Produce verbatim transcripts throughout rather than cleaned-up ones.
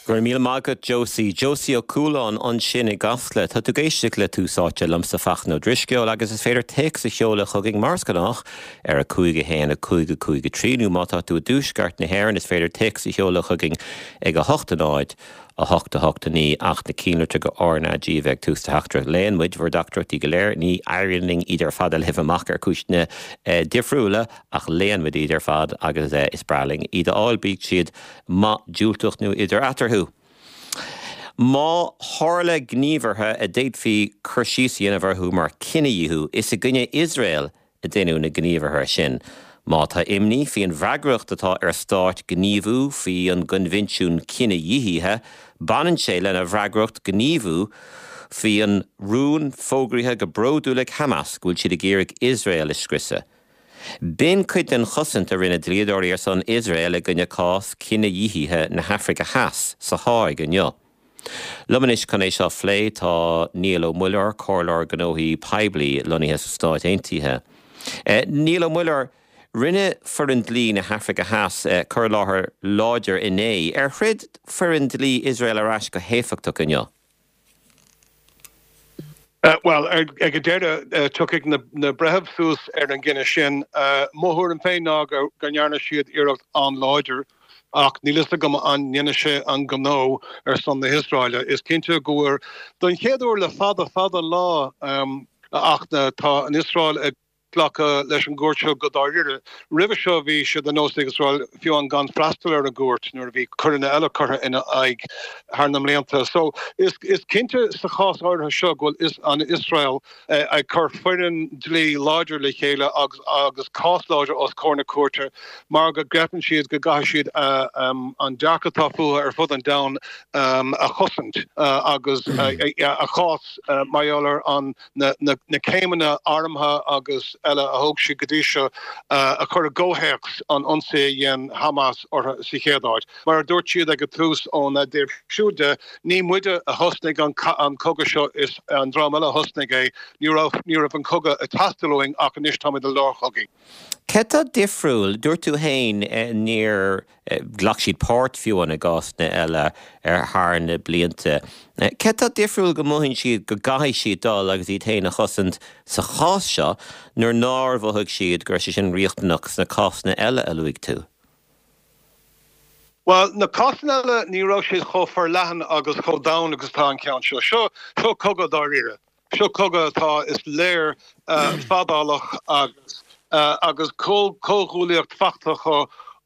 Go raibh míle maith agat Josie, Josie Ó Cualáin ansin i gCasla, tá tú ag éisteacht le Tús Áite liomsa Fachtna Ó Drisceoil agus is féidir téacs a sheoladh chugainn mar is gnách ar a cúig a haon a cúig a cúig a trí nó má tá tú i dtuaisceart na hÉireann is féidir téacs a sheoladh chugainn ag a hocht a náid a hocht a hocht a naoi ach na cinnlitreacha go RnaG a bheith ag tús do theachtaireacht. Léann muid bhur dteachtaireachtaí go léir ní éiríonn linn iad ar fad a léamh amach ar chúiseanna eh, difriúla ach léann muid iad ar fad agus eh, is breá linn iad a fháil bíodh siad maith diúltach nó idir eatarthu. Má tharla gníomhartha a d'fhéadfaí cur síos a dhéanamh orthu mar cinedhíothú is i gcoinne Iosrael a deineadh na gníomhartha sin. Má tá imní faoin bhfreagracht atá ar stáit gníomhú faoi an gCoinbhinsiún Cinedhíothaithe, baineann sé lena bhfreagracht gníomhú faoi an rún fógraithe go bródúil ag Hamas go bhfuil siad ag iarraidh Iosrael a scriosadh. B'in cuid den chosaint a rinne dlíodóirí ar son Iosrael i gcoinne cás cinedhíothaithe na hAfraice Theas sa Háig inniu. Liom anois chun é seo a phlé tá Niall Ó Muilleoir comhairleoir gnóthaí poiblí lonnaithe sna Stáit Aontaithe. Eh, Niall Ó Muilleoir, rinne foireann dlí na hAfraice Theas eh, cur i láthair láidir inné ar throid foireann dlí Iosrael ar ais go héifeachtach inniu. Uh, well ag an deireadh uh, tiocfaidh na, na breithimh suas ar an gcinneadh sin uh, mo thuairim féin ná go go ndearna siad iarracht an-láidir ach níl a fhios agam an ndéanfaidh sé an gnó ar son na hIosraeile. Is cinnte go bhfuil don chéad uair le fada fada lá um, ach tá an Iosrael ag glacadh leis an gcúirt seo go dáiríre. Roimhe seo bhí sé de nós ag Iosrael fiú amháin gan freastal ar an gcúirt nuair a bhí coireanna eile curtha ina aghaidh thar na mblianta. So is, is cinnte sa chás áirithe seo go bhfuil is an Iosrael eh, ag cur foireann dlí láidir le chéile agus, agus cás láidir os comhair na cúirte mar go gcreideann siad go gcaithfidh siad uh, um, an dearcadh atá fúthu ar fud an domhain um, a chosaint uh, agus uh, a chás uh, mar an na, na, na céimeanna armtha agus eile a thóg siad go dtí seo uh, a chur i gcomhthéacs an ionsaí a dhein Hamas orthu sa chéad áit. Mar a dúirt siad ag an tús óna dtaobh siúd de ní muide a thosnaigh an, an cogadh seo is an dream eile a thosnaigh é ní raibh ní raibh an cogadh ag teastáil uainn ach anois táimid i lár chogaidh. Cé tá difriúil dúirt tú féin eh, níor eh, ghlac siad páirt fiú i gcásanna eile ar thar na blianta. Eh, cé tá difriúil go mothaíonn siad go gcaithfidh siad dul agus iad féin a chosaint sa chás seo nuair nár mhothaigh siad go raibh sé sin riachtanach sna cásanna eile a luaigh tú. Well na cásanna eile ní raibh siad chomh forleathan agus chomh domhain agus tá an ceann seo seo seo cogadh dáiríre. Seo cogadh atá is léir uh, fadálach agus uh, agus comhghuaillíocht fachta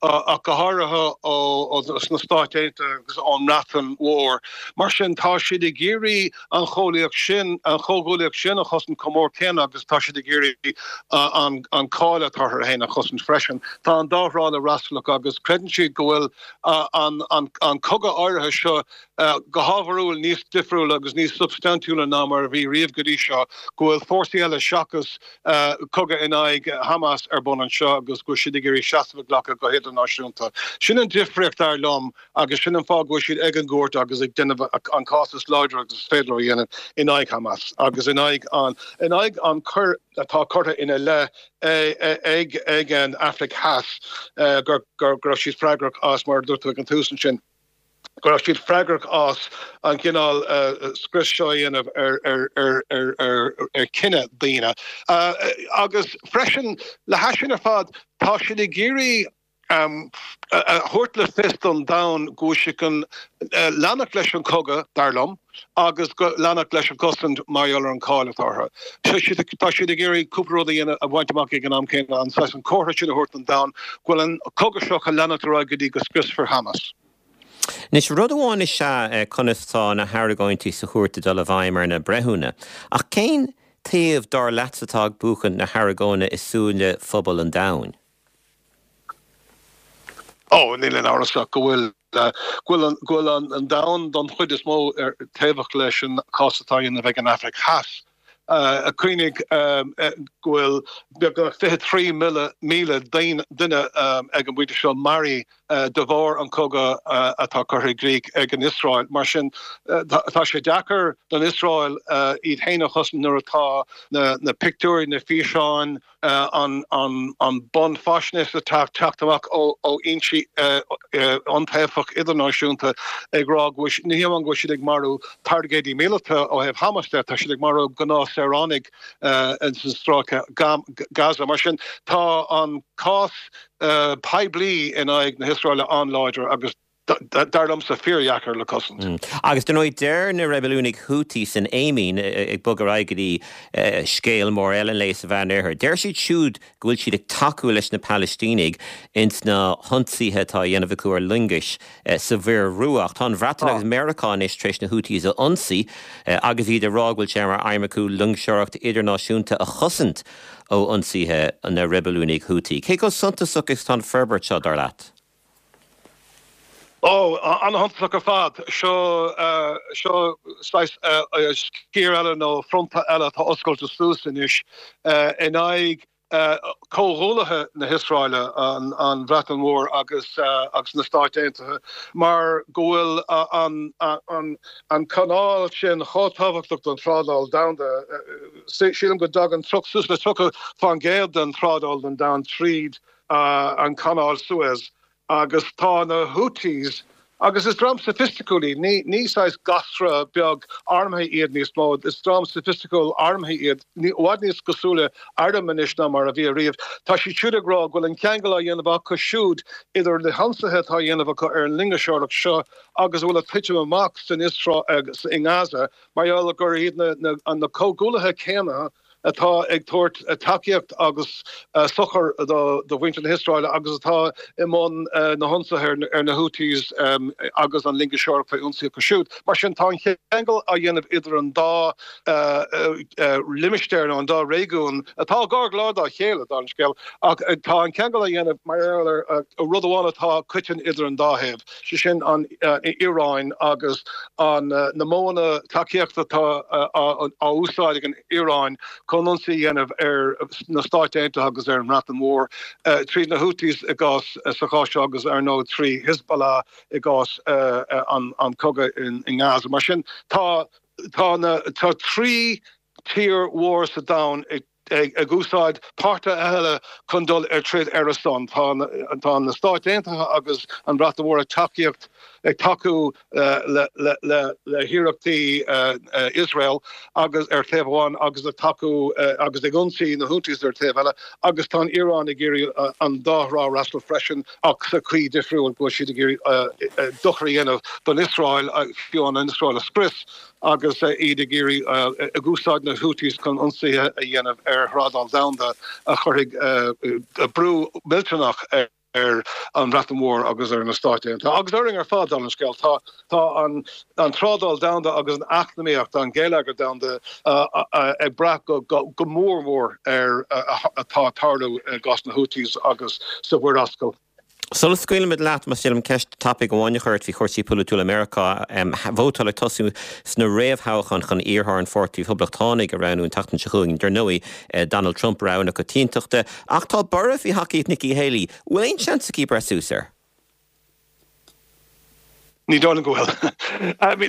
uh, ach go háirithe ó sna Stáit Aontaithe agus ón mBreatain Mhór. Mar sin tá siad ag iarraidh an chomhghuaillíocht sin an chomhghuaillíocht sin a chosaint chomh mór céanna agus tá siad ag iarraidh an, an cháil atá orthu féin a chosaint freisin. Tá an dá thrá le freastal agus creideann siad go bhfuil uh, an, an, an cogadh áirithe seo uh, go hábharúil níos difriúla agus níos substaintiúla ná mar a bhí riamh go dtí seo, go bhfuil fórsaí eile seachas uh, cogadh in aghaidh Hamas ar bun anseo agus go siad ag iarraidh seasamh a ghlacadh go hidirnáisiúnta. Sin an difríocht dar liom agus sin an fáth go bhfuil siad ag an gcúirt agus ag déanamh an cás is láidre agus is féidir a dhéanamh in aghaidh Hamas agus in aghaidh an in aghaidh an choir atá curtha ina leith ag ag an Afraic Theas gur gur gur siad freagrach as mar dúirt ag an tús sin. Go raibh siad freagrach as an gcineál uh, scrios seo a dhéanamh ar ar ar ar ar ar chine daonna. Uh, agus freisin le hais sin ar fad tá siad ag iarraidh um, a thabhairt le fios don domhan go bhfuil siad chun uh, leanacht leis an cogadh dar liom agus go leanacht leis an gcosaint mar gheall ar an cháil atá orthu. Tá siad ag iarraidh cúpla rud a bhaint amach ag an am céanna an an comhartha sin a thabhairt don domhan go bhfuil an cogadh seo chun leanacht ar aghaidh go dtí go scriosfar Hamas. Anois rud amháin is ea conas tá na hargóintí sa chúirt ag dul i bhfeidhm ar na breithiúna. Ach cén taobh dar leat atá ag buachan na hargóna i súile phobal an domhain? Ó níl aon amhras go bhfuil go bhfuil an domhan don chuid is mó ar taobhach leis an cás atá á dhéanamh ag an Afraic Theas. Uh, cuimhnigh um, go bhfuil beagnach fiche trí míle míle duine um, ag an bpointe seo maraithe uh, de bharr an cogadh uh, atá curtha i gcrích ag an Iosrael. Mar sin uh, tá sé deacair don Iosrael uh, iad féin a chosaint nuair atá na, na pictiúirí na físeáin an an bunfhaisnéis atá ag teacht amach ó fhoinsí iontaofa idirnáisiúnta ag rá go bhfuil, ní hamháin go bhfuil siad ag marú targaidí míleata ó thaobh Hamas de, tá siad ag marú gnáthshaoránaigh ins an stráice Gaza. Mar sin, tá an cás poiblí in aghaidh na hIosraeile an-láidir agus dar liomsa fíordheacair le cosaint. Agus dar ndóigh deir na reibiliúnaigh Houthi san Éimín, ag bogadh ar aghaidh go dtí scéal mór eile an lae sa Mheánoirthear, deir siad siúd go bhfuil siad ag tacú leis na Palaistínigh ins na hionsaithe atá á dhéanamh acu ar loingis sa Mhuir Rua. Ach tá an Bhreatain agus Meiriceá anois tar éis na Houthis a ionsaí agus iad ag rá go bhfuil sé mar aidhm acu loingseoireacht idirnáisiúnta a chosaint ó ionsaithe na reibiliúnaigh Houthi. Cé chomh suntasach is atá an forbairt seo, dar leat? Ó, an-shuntasach ar fad. Seo, seo saghas sciar eile nó fronta eile atá oscailte suas anois in aghaidh comhghuaillithe na hIosraeile, an Bhreatain Mhór agus agus na Stáit Aontaithe, mar go bhfuil an an an canáil sin chomh tábhachtach don trádáil domhanda. Sílim go dtagann suas le tríocha faoin gcéad den trádáil den domhan tríd an Canáil Suez. Agus tá na Houthis, agus is dream soifisticiúil iad, ní ní saghas gasra beag armtha iad níos mó, is dream soifisticiúil armtha iad, i bhfad níos cosúla airm anois ná mar a bhí ariamh. Tá siad siúd ag rá go bhfuil an ceangal á dhéanamh acu siúd idir na hionsaithe atá á dhéanamh acu ar an loingeoireacht seo agus a bhfuil ag titim amach san Iosrael agus i nGaza mar gheall gur iad na na na comhghuaillithe céanna atá ag tabhairt tacaíocht agus sochar do mhuintir na hIosraeile agus atá i mbun na hionsaithe ar na Houthis agus an loingeoireacht faoi ionsaí acu siúd. Mar sin, tá an ceangal á dhéanamh idir an dá limistéar nó an dá réigiún atá gar go leor dá chéile, dála an scéil, ach tá an ceangal á dhéanamh mar gheall ar rud amháin atá coiteann idir an dá thaobh, sé sin an Iaráin agus na modhanna tacaíochta atá á úsáid ag an Iaráin chun ionsaí a dhéanamh ar na Stáit Aontaithe agus ar an mBreatain Mhór, tríd na Houthis i gcás sa chás seo agus ar ndóigh trí Hezbollah i gcás an cogadh i nGaza. Mar sin, tá tá na tá trí tír mhór sa domhan ag ag úsáid páirtithe eile chun dul ar troid ar a son. Tá tá na Stáit Aontaithe agus an Bhreatain Mhór ag tacaíocht ag tacú le le le hiarrachtaí Iosrael agus ar taobh amháin agus ag tacú agus ag ionsaí na Houthis ar taobh eile agus tá an Iaráin ag iarraidh an dá thrá a fhreastal freisin ach sa chaoi difriúil go bhfuil siad ag iarraidh dochar a dhéanamh don Iosrael, fiú an Iosrael a scrios agus iad ag iarraidh ag úsáid na Houthis chun ionsaithe a dhéanamh ar thrádáil domhanda a chuirfidh brú millteanach ar ar an Bhreatain Mhór agus ar na Stáit Aontaithe agus orainn ar fad, dála an scéil. Tá tá an an trádáil domhanda agus an eacnamaíocht, an geilleagar domhanda ag brath go go mór mhór ar atá ag tarlú i gcás na Houthis agus sa Mhuir Ascail. Sula scaoilimid leat, más féidir liom ceist tapaidh amháin a chur ort faoi chúrsaí polaitiúla Meiriceá. Vótáil ag tosú sna réamhthoghcháin chun iarrthóir an Pháirtí Phoblachtánaigh a roghnú an tseachtain seo chugainn. Dar ndóigh, Donald Trump rogha na coitiantachta. Ach tá borradh faoi thacaíocht Nikki Haley. Bhfuil aon seans aici breith suas air? Ní dóigh liom go bhfuil.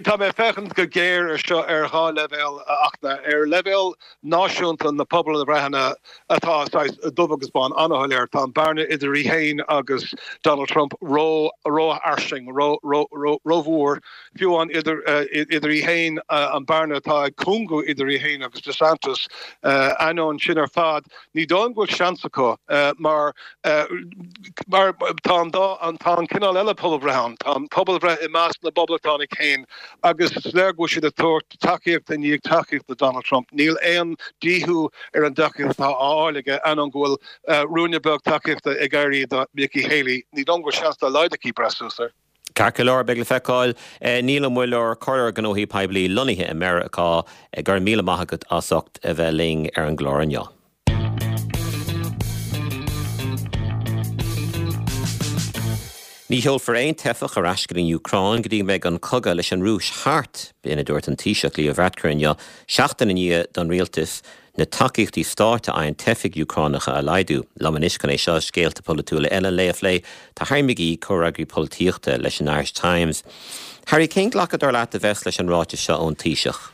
Tá mé ag féachaint go géar ar seo ar dhá leibhéal a Fhachtna. Ar leibhéal náisiúnta na pobalbhreitheanna atá saghas dubh agus bán an-shoiléir, tá an bearna idir í féin agus Donald Trump rófhairsing, rómhór. Fiú amháin idir idir í féin, an bearna atá ag cúngú idir í féin agus DeSantis, ainneoin sin ar fad, ní dóigh liom go bhfuil seans acu mar Mar tá an dá, tá an cineál eile pobalbhreith ann, tá an pobalbhreith i measc na bPoblachtánach féin agus is léir go bhfuil siad ag tabhairt tacaíocht i ndiaidh tacaíocht do Donald Trump. Níl aon díothú ar an dtacaíocht atá á fháil aige, ainneoin go bhfuil ruainne beag tacaíochta ag éirí do Nikki Haley. Ní dóigh liom go bhfuil seans dá laghad aici breith suas air. Ceart go leor, beidh le feiceáil. Niall Ó Muilleoir, Comhairleoir Gnóthaí Poiblí lonnaithe i Meiriceá, go raibh míle maith agat as ucht a bheith linn ar an gclár inniu. Ní sheolfar aon teifeach ar ais go dtí an Úcráin go dtí go mbeidh an cogadh leis an Rúis thart, b'in a dúirt an Taoiseach Leo Varadkar inniu, seachtain i ndiaidh don rialtas na tacaíochtaí stáit a fhaigheann teifigh Úcránacha a laghdú. Liom anois chun é seo is scéalta polaitiúla eile an lae a phlé, tá Harry McGee, comhfhreagraí polaitíochta leis an Irish Times. Harry, cén glacadh dar leat a bheas leis an ráiteas seo ón Taoiseach?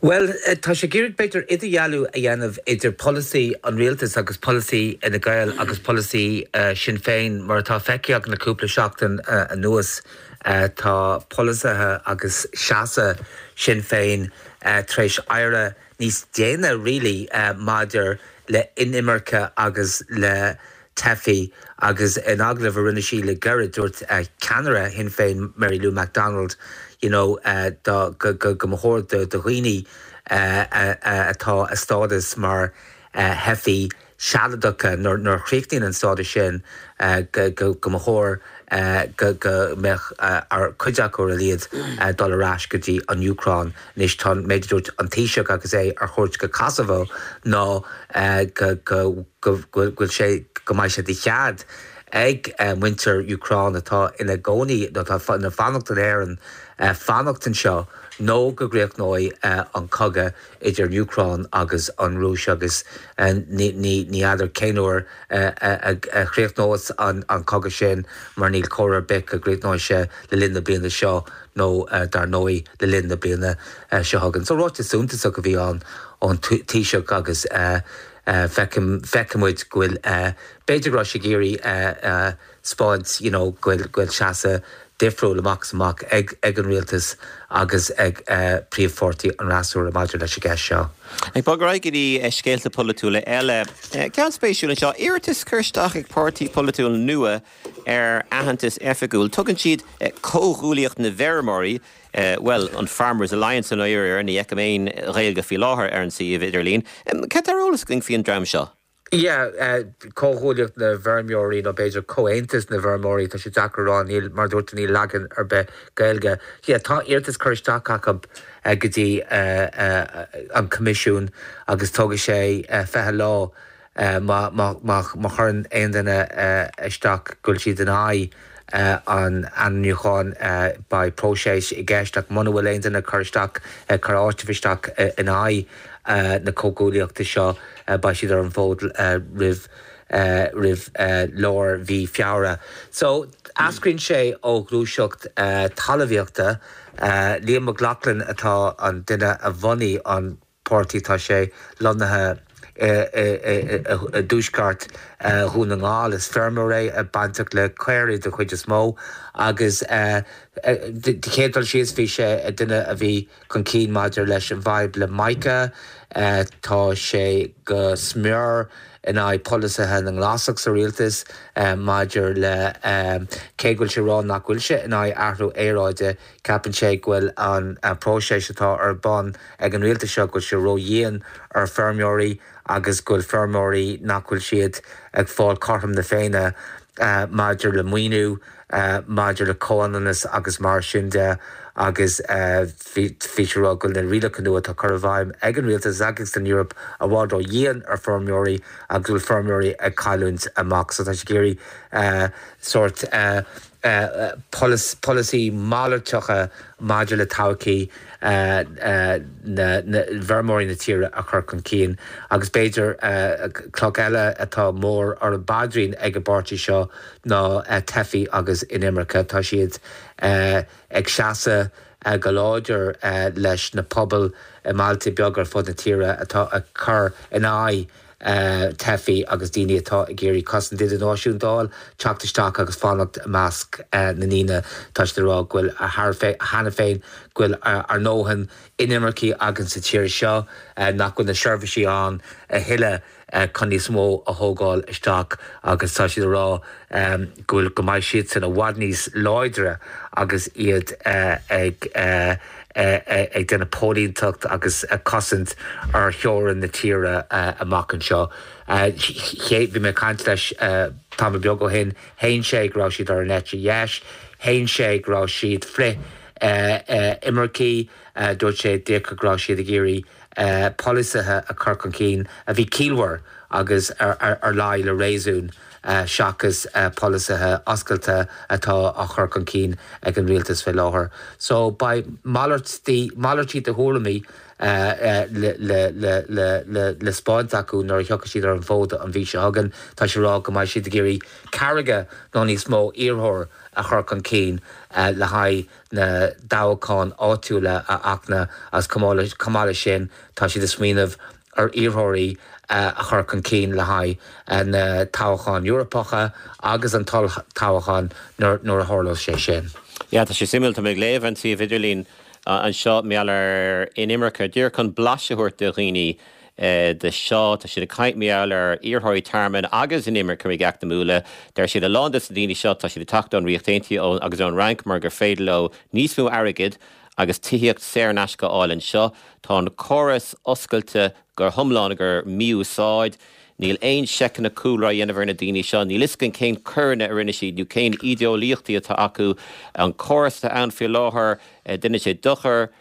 Well, tá sé ag iarraidh b'fhéidir idirdhealú a dhéanamh idir polasaí an rialtas agus polasaí Fhine Gael agus polasaí uh, Sinn Féin mar atá feicthe againn le cúpla seachtain uh, anuas uh, tá polasaithe agus seasamh Sinn Féin uh, tar éis éirí níos déine really uh, maidir le inimirce agus le teifigh agus in agallamh a rinne sí le gairid dúirt uh, ceannaire Shinn Féin Mary Lou McDonald you know, uh, go go go mba chóir do do dhaoine uh, uh, uh, atá a stádas mar uh, theifigh sealadacha nuair nuair a chríochnaíonn an stádas sin uh, go go go mba chóir uh, go go mbeadh uh, ar cuid acu ar a laghad uh, dul ar ais go dtí an Úcráin anois tá méid dúirt an Taoiseach agus é ar chuairt go Kosovo ná uh, go go go bhfuil sé go mbeidh sé de chead ag uh, muintir Úcráin atá ina gcónaí atá ina fanacht in Éirinn uh, fanacht anseo nó go gcríochnóidh uh, an cogadh idir Úcráin agus an Rúis agus uh, ní n'fheadar cén uair uh, a chríochnós an, an cogadh sin mar níl comhartha ar bith go gcríochnóidh sé le linn na bliana seo nó uh, dar ndóigh le linn na bliana uh, seo chugainn. So ráiteas suntasach a bhí ann ón Taoiseach agus uh, uh, feicimid go bhfuil uh, b'fhéidir go raibh sé ag iarraidh uh, uh, spáint you know, go bhfuil go bhfuil seasamh difriúil amach amach ag ag an rialtas agus ag uh, príomhpháirtí an fhreasúra maidir leis an gceist seo. Ag bogadh go dtí scéalta polaitiúla eile. Ceann spéisiúil anseo iarratas curtha isteach ag páirtí polaitiúil nua ar aitheantas oifigiúil. Tugann siad comhghuaillíocht na bhfeirmeoirí, Uh, well an Farmers Alliance an oir ní fheicim aon Ghaeilge faoi láthair ar an suíomh idirlín. Cad tá ar eolas againn faoin dream seo? Yeah, uh, comhghuaillíocht na bhfeirmeoirí nó b'fhéidir comhaontas na bhfeirmeoirí tá sé deacair rá níl mar dúirt níl leagan ar bith Gaeilge. Yeah, tá iarratas curtha isteach acu uh, go dtí uh, uh, an Coimisiún agus tógfaidh sé uh, fiche lá uh, má chuireann aon duine uh, isteach go bhfuil siad in aghaidh uh, an ainmniúcháin uh, beidh próiseas i gceist ach muna bhfuil aon duine cur isteach uh, cur áiteamh isteach uh, in aghaidh uh, na comhghuaillíochta seo uh, beidh siad ar an bhfód uh, roimh uh, roimh uh, lár mhí Feabhra. So eascraíonn sé ó ghluaiseacht uh, talmhaíochta uh, Liam Mac Lochlainn atá an duine a bhunaigh an páirtí tá sé lonnaithe i dtuaisceart Dhún na nGall is feirmeoir é bainteach le caoirigh den chuid is mó agus de chéad dul síos bhí sé duine a bhí chun cinn maidir leis an bhfadhb le Mica tá sé go smior in aghaidh polasaithe na nGlasach sa rialtas maidir le cé go bhfuil sé ag rá nach bhfuil sé in aghaidh athrú aeráide ceapann sé go bhfuil an próiseas atá ar bun ag an rialtas seo go bhfuil sé ródhian ar feirmeoirí agus go bhfuil feirmeoirí nach bhfuil siad ag fáil cothrom na Féinne uh, maidir le maoiniú uh, maidir le comhionannas agus mar sin de agus bhí sé ag rá go bhfuil na rialacha nua atá curtha i bhfeidhm ag an rialtas agus san Eoraip i bhfad ródhian ar feirmeoirí agus bhfuil feirmeoirí ag cailliúint amach so tá sé ag iarraidh uh, sórt uh, uh, polasaí malartacha maidir le todhchaí uh, uh, na, na bhfeirmeoirí na tíre a chur chun cinn agus b'fhéidir uh, cloch eile atá mór ar an bpaidrín ag an bpáirtí seo ná uh, teifigh agus inimirce tá siad uh, ag seasamh uh, go láidir uh, leis na pobail i mbailte beaga ar fud na tíre atá ag cur in aghaidh uh, teifigh agus daoine atá ag iarraidh cosaint idirnáisiúnta a fháil teacht isteach agus fanacht i measc uh, na ndaoine tá siad ag rá go bhfuil cheana féin go bhfuil ár ndóthain inimircigh againn sa tír seo uh, nach bhfuil na seirbhísí ann a thuilleadh uh, chun níos mó a thógáil isteach agus tá siad ag rá um, go bhfuil go mbeidh siad san i bhfad níos láidre agus iad uh, ag uh, ag déanamh póilíneacht agus ag cosaint ar theorainn na tíre amach anseo. Bhí mé ag caint leis tamall beag ó shin shéan sé go raibh siad ar an eite dheis, shéan sé go raibh siad frith imircigh dúirt sé díreach go raibh siad ag iarraidh polasaithe a chur chun cinn a bhí ciallmhar agus ar, ar, ar leith le réasún uh, seachas uh, polasaithe oscailte atá á chur chun cinn ag an rialtas fé láthair. So beidh malairtí de thuairimí uh, uh, le, le, le, le, le, le spáint acu nuair a thiocfaidh siad ar an bhfód an mhí seo chugainn tá sé rá go mbeidh siad ag iarraidh ceathracha nó níos mó iarrthóir a chur chun cinn uh, le haghaidh na dtoghchán áitiúla a Fhachtna as chomh maith leis sin tá siad ag smaoineamh ar iarrthóirí uh, a chur chun cinn le haghaidh uh, na toghcháin Eorpacha agus an toghchán nuair a tharlós sé sin. Ja, tá sé suimiúil tá mé ag léamh an suíomh idirlín anseo mar gheall ar inimirce díreach chun blaiseadh a thabhairt do dhaoine de seo tá siad ag caint mar gheall ar iarrthóirí tearmainn agus inimircigh eacnamúla Deir siad a lán de na daoine seo tá siad ag teacht ón Ríocht Aontaithe agus ón Fhrainc mar gur féidir leo níos mó airgid agus tithíocht saor in aisce a fháil anseo tá an córas oscailte go hiomlán gur mí-úsáid, Níl aon seiceanna cúlra á ndéanamh ar na daoine seo, níl a fhios againn cén coireanna a rinne siad nó cén ídeolaíochtaí atá acu an córas atá ann faoi láthair déanann sé dochar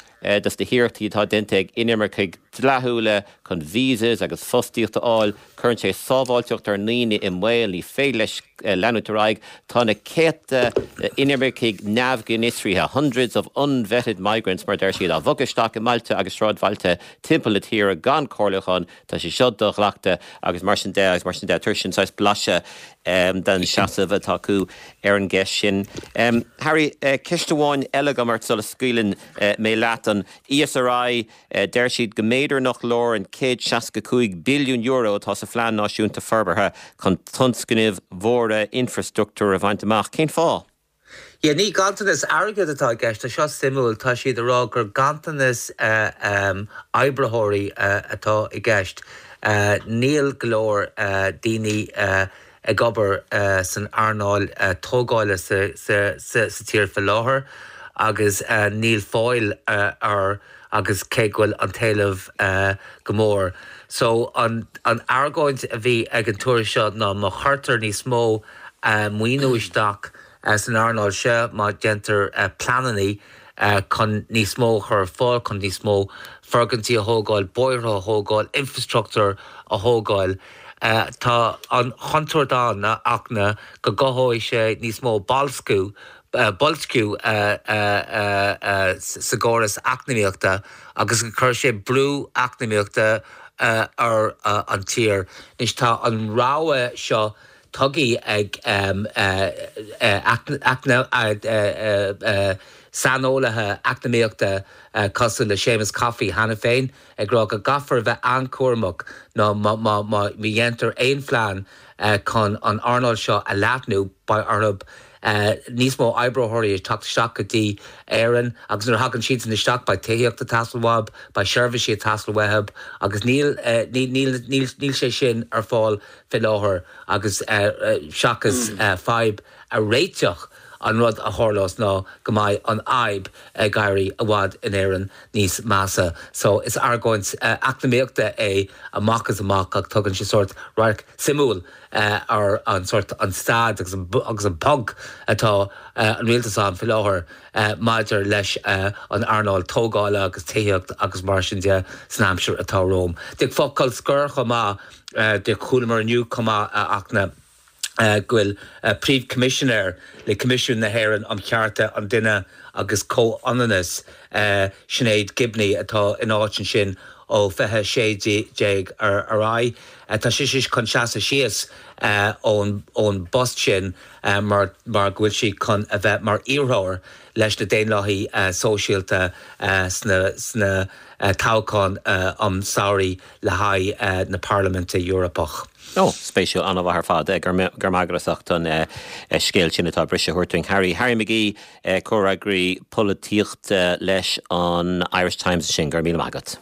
dos na hiarrachtaí atá déanta ag inimircigh dleathúla chun visas agus fostaíocht a fháil, cuireann sé sábháilteacht ár ndaoine i mbaol ní féidir leis leanúint ar aghaidh tá na céadta inimircigh neamh-fhiosraithe, hundreds of unvetted migrants mar deir siad á bhogadh isteach i mbailte agus sráidbhailte timpeall na tíre gan comhairliúchán tá sé seo do-ghlactha agus mar sin de agus mar sin de tugann sin saghas blaiseadh um, den seasamh atá acu ar an gceist sin. Um, Harry uh, ceist amháin eile agam ort sula scaoileann uh, mé leat an ESRI uh, deir siad go mb'fhéidir nach leor an céad seasca cúig billiún euro atá sa phlean náisiúnta forbartha chun tionscnaimh mhóra infrastruchtúr a bhaint amach cén fáth. Ja ní ganntanas airgid atá i gceist seo suimiúil tá siad ag rá gur ganntanas uh, um, oibritheoirí uh, atá i gceist. Uh, níl go leor uh, daoine uh, ag obair uh, san earnáil uh, tógála sa, sa, sa, sa tír faoi láthair agus uh, níl fáil uh, ar agus cé go bhfuil an t-éileamh uh, go mór. So an, an argóint a bhí ag an tuairisc seo ná má chuirtear níos mó uh, maoiniú isteach uh, san earnáil seo má déantar uh, pleananna uh, chun níos mó chur fáil chun níos mó foirgintí a thógáil, bóithre a thógáil, infrastruchtúr a thógáil. Uh, tá an chontúirt ann a Fhachtna go gcothóidh sé níos mó boilsciú uh, boilsciú uh, uh, uh, uh, sa gcóras eacnamaíochta agus go gcuirfidh sé brú eacnamaíochta uh, ar uh, an tír. Anois tá an rabhadh seo tugtha ag um, uh, uh, uh, uh, uh, saineolaithe eacnamaíochta uh, cosúil le Seamus Coffey cheana féin ag rá go gcaithfear bheith an-chúramach ná má dhéantar aon phlean uh, chun an earnáil seo a leathnú beidh orthu Uh, níos mó oibritheoirí ag teacht isteach go dtí Éirinn agus nuair a thagann siad san isteach beidh tithíocht ag teastáil uathu, beidh seirbhísí ag teastáil uathu agus níl uh, níl, níl, níl sé sin ar fáil faoi láthair agus uh, uh, seachas uh, fadhb a réiteach an rud a tharlós ná go mbeidh an fhadhb ag éirí i bhfad in Éirinn níos measa. So is argóint uh, eacnamaíochta é amach is amach ach tugann sé sórt radharc suimiúil uh, ar an sórt an staid agus an, agus an ponc atá uh, an rialtas ann faoi láthair uh, maidir leis uh, an earnáil tógála agus tithíocht agus mar sin de san aimsir atá romhainn. De focal scoir chomh maith uh, de chualamar inniu chomh maith a Fhachtna Uh, go bhfuil uh, príomh-choimisinéir le Coimisiún na hÉireann um Chearta an Duine agus Comhionannas uh, Sinéad Gibney atá in áit ansin ó fiche sé déag ar ar aghaidh. Uh, tá sí chun seasamh síos uh, ón ón bpost sin uh, mar mar go bhfuil sí chun a bheith mar iarrthóir leis na Daonlathaithe uh, Sóisialta uh, sna sna uh, toghchán uh, um samhradh le haghaidh uh, na Parlaiminte Eorpach. Ó, spéisiúil an-mhaith ar fad gur maith agat as ucht an scéal sin atá briseadh a thabhairt dúinn Harry Harry McGee comhfhreagraí polaitíochta leis an Irish Times sin go raibh míle maith agat.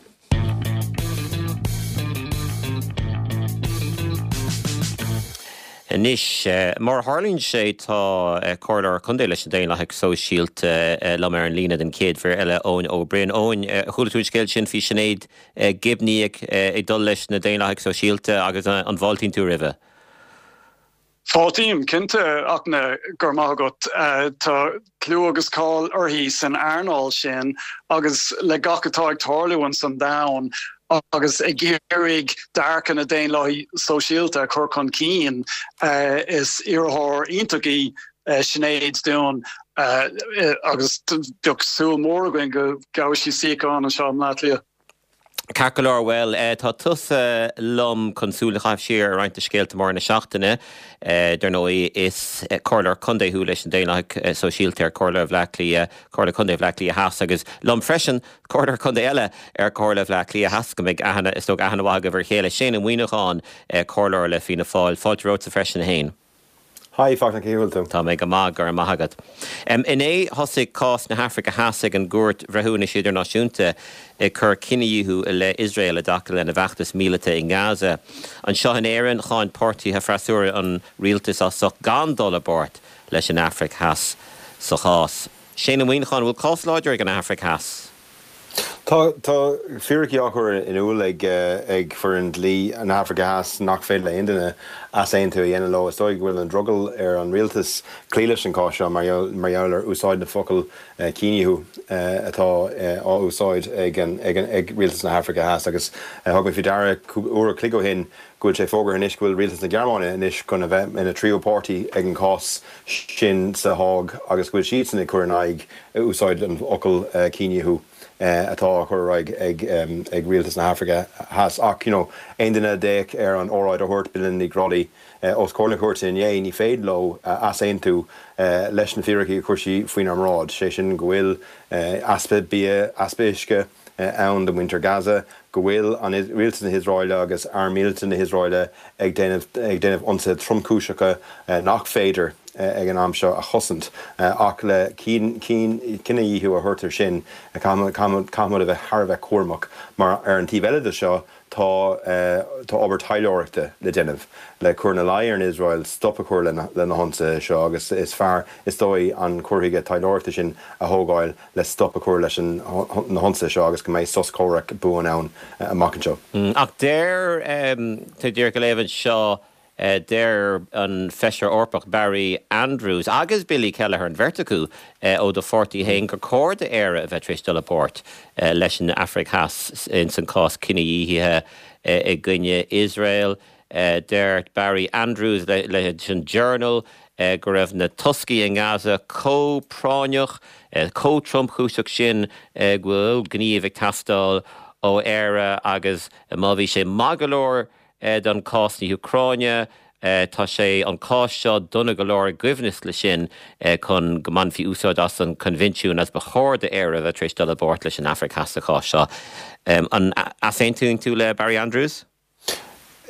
Anois mar a tharlaíonn sé tá comhairleoir contae leis na Daonlathaigh Sóisialta liom ar an líne den chéad uair eile Eoin Ó Broin. Eoin chuala tú an scéal sin faoi Sinéad Gibney ag ag dul leis na Daonlathaigh Sóisialta agus an bhfáiltíonn tú roimhe. Fáiltím cinnte a Fhachtna go raibh maith agat tá clú agus cáil uirthi san earnáil sin agus le gach atá ag tarlú an san domhan agus ag iarraidh dearcadh na Daonlathaí Sóisialta a chur chun cinn. Is iarrthóir iontach í Sinéad dúinn agus bheadh súil mhór againn go gheobhaidh sí suíochán anseo i mBleá Cliath. Ceart go leor, bhuel, tá tusa liom chun súil a chaitheamh siar ar roinnt de scéalta móra na seachtaine. Dar ndóigh, is comhairleoir contae thú leis na Daonlathaithe Sóisialta ar Chomhairle Bhaile Átha Cliath, Comhairle Contae Bhaile Átha Cliath Theas agus liom freisin, comhairleoir contae eile ar Chomhairle Bhaile Átha Cliath Theas, go mbeidh aithne, is dócha, aithne mhaith agaibh ar a chéile, Shane Ó Muíneacháin, comhairleoir le Fianna Fáil. Fáilte romhatsa freisin, a Shéain. Hi Fachtna, cén chaoi a bhfuil tú? Tá mé go maith, go raibh maith agat. Inné thosaigh cás na hAfraice Theas ag an gCúirt Bhreithiúnais Idirnáisiúnta ag cur cinedhíothú i leith Iosrael i dtaca lena bhfeachtas míleata i nGaza. Anseo in Éirinn, cháin páirtithe freasúra an rialtas as ucht gan dul i bpáirt leis an Afraic Theas sa chás. Shane Ó Muíneacháin, an bhfuil cás láidir ag an Afraic Theas? Tá tá fíricí á chur in iúl ag ag foireann dlí na hAfraice Theas nach féidir le aon duine easaontú a dhéanamh leo. Is dóigh go bhfuil an drogall ar an rialtas cloí leis an cás seo mar mar gheall ar úsáid na focal cinedhíothú atá á úsáid ag an ag an ag rialtas na hAfraice Theas agus thug mé faoi deara uair a chloig ó shin go bhfuil sé fógartha anois go bhfuil rialtas na Gearmáine anois chun a bheith ina tríú páirtí ag an cás sin sa Háig agus go bhfuil siadsan ag cur in aghaidh úsáid an fhocail cinedhíothú atá á chur ar aghaidh ag rialtas na hAfraice Theas. Ach you know aon duine a d'fhéach ar an óráid a dúirt Belinda Ní Ghrálaigh os comhair na cúirte inné, ní féidir leo easaontú leis na fíricí a chuir sí faoinár mbráid, sé sin go bhfuil easpa bia, easpa uisce, ann do mhuintir Gaza, go bhfuil an rialtas na hIosraeile agus arm míleata na hIosraeile ag déanamh ag déanamh ionsaithe tromchúiseacha nach féidir ag an am seo a chosaint. Ach le cinedhíothú a thabhairt air sin, caithfimid a bheith thar a bheith cúramach mar ar an taobh eile de seo, Tá tá obair taidhleoireachta le déanamh le cur ina luí ar an Iosrael stop a chur lena na hionsaithe seo agus is fearr is dóigh an cur chuige taidhleoireachta sin a thógáil le stop a chur leis na hionsaithe seo agus go mbeidh sos comhraic buan ann amach anseo. Ach deir tá díreach ag léamh anseo Deir an Feisire Eorpach Barry Andrews agus Billy Kelleher, an bheirt acu ó do pháirtí féin, gur chóir d'Éire a bheith tar éis dul i bpáirt leis an Afraic Theas ins an cás cinedhíothaithe i gcoinne Iosrael. Deir Barry Andrews leis an Journal go raibh na toscaí i nGaza chomh práinneach, chomh tromchúiseach sin go bhfuil gníomh ag teastáil ó Éire agus má bhí sé maith go leor don cás na hÚcráine. Tá sé, an cás seo, dona go leor i gcoibhneas leis sin chun go mbainfí úsáid as an Coinbhinsiún agus ba chóir d'Éire a bheith tar éis dul i bpáirt leis an Afraic Theas sa chás seo. An easaontaíonn tú le Barry Andrews?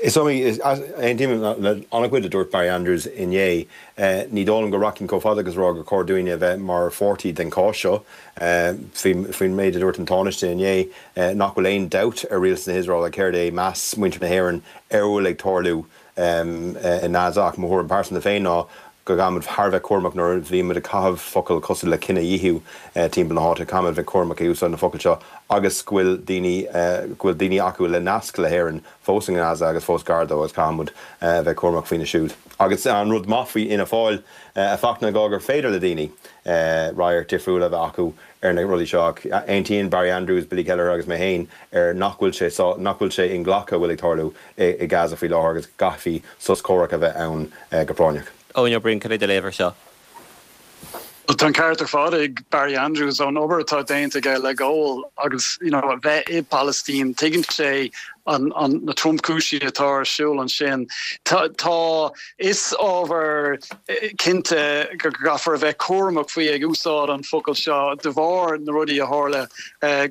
Is iomaí, aontaím le an-chuid a dúirt Barry Andrews inné. Ní dóigh liom go rachainn chomh fada agus rá gur chóir dúinne a bheith mar pháirtí den chás seo. Faoin méid a dúirt an Tánaiste inné, nach bhfuil aon dabht ar rialtas na hIosraeile céard é meas muintir na hÉireann ar a bhfuil ag tarlú i nGaza. Ach mo thuairim pearsanta féin ná go gcaithfimid thar a bheith cúramach nuair a bhímid ag caitheamh focail cosúil le cinedhíothú timpeall na háite. Caithfimid a bheith cúramach ag úsáid na focail seo agus go bhfuil daoine, go bhfuil daoine acu le nasc le hÉirinn fós i nGaza agus fós gar dó agus caithfimid a bheith cúramach faoina siúd. Agus an rud maith faoi Fhianna Fáil, a Fhachtna, ná gur féidir le daoine radharc difriúil a bheith acu ar na rudaí seo ach aontaíonn Barry Andrews, Billy Kelleher agus mé féin ar nach bhfuil sé nach bhfuil sé inghlactha a bhfuil ag tarlú i Gaza faoi láthair agus go gcaithfí sos comhraic a bheith ann go práinneach. Eoin Ó Broin, cad é do léamh air seo? Bhuel, tá an ceart ar fad ag Barry Andrews ón obair atá déanta aige le Goal agus you know, a bheith i bPalaistín, tuigeann sé an, an, na tromchúisí atá ar siúl ansin. Tá, tá, is ábhar cinnte go gcaithfear a bheith cúramach faoi ag úsáid an focal seo de bharr na rudaí a tharla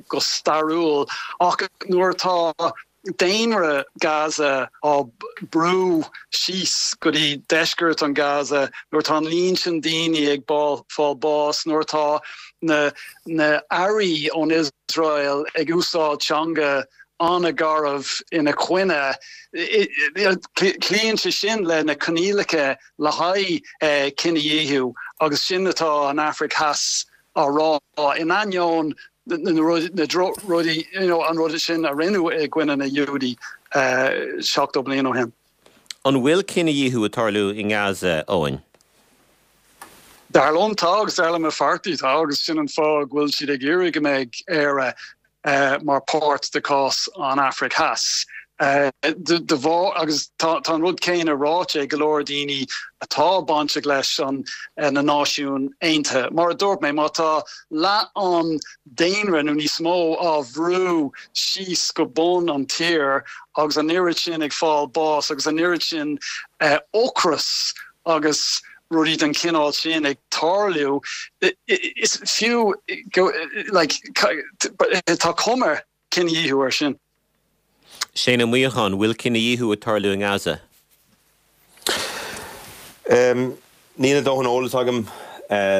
go stairiúil ach nuair atá daonra Gaza á brú síos go dtí deisceart an Gaza, nuair atá an líon sin daoine ag fáil bás, nuair atá na na airí ón Iosrael ag úsáid teanga an-gharbh ina coinne, cloíonn sé sin le na coinníollacha le haghaidh cinedhíothú agus sin atá an Afraic Theas á rá, in ainneoin na rudaí, you know, an rud sin a rinneadh i gcoinne na Giúdaigh seachtó bliain ó shin. An bhfuil cinedhíothú ag tarlú i nGaza, Eoin? Dar liom tá agus dar le mo pháirtí tá agus sin an fáth go bhfuil siad ag iarraidh go mbeidh Éire mar páirt de cás an Afraic Theas. De bharr agus tá an rud céanna ráite ag go leor daoine atá bainteach leis an na Náisiúin Aontaithe. Mar a dúirt mé, má tá leath an daonra nó níos mó á bhrú síos go bun an tír agus an oiread sin ag fáil bás agus an oiread sin ocras agus rudaí den chineál sin ag tarlú, is fiú like tá cuma cinedhíothú air sin. Shane Ó Muíneacháin, bhfuil cinedhíothú ag tarlú i nGaza? Níl a dóthain eolas agam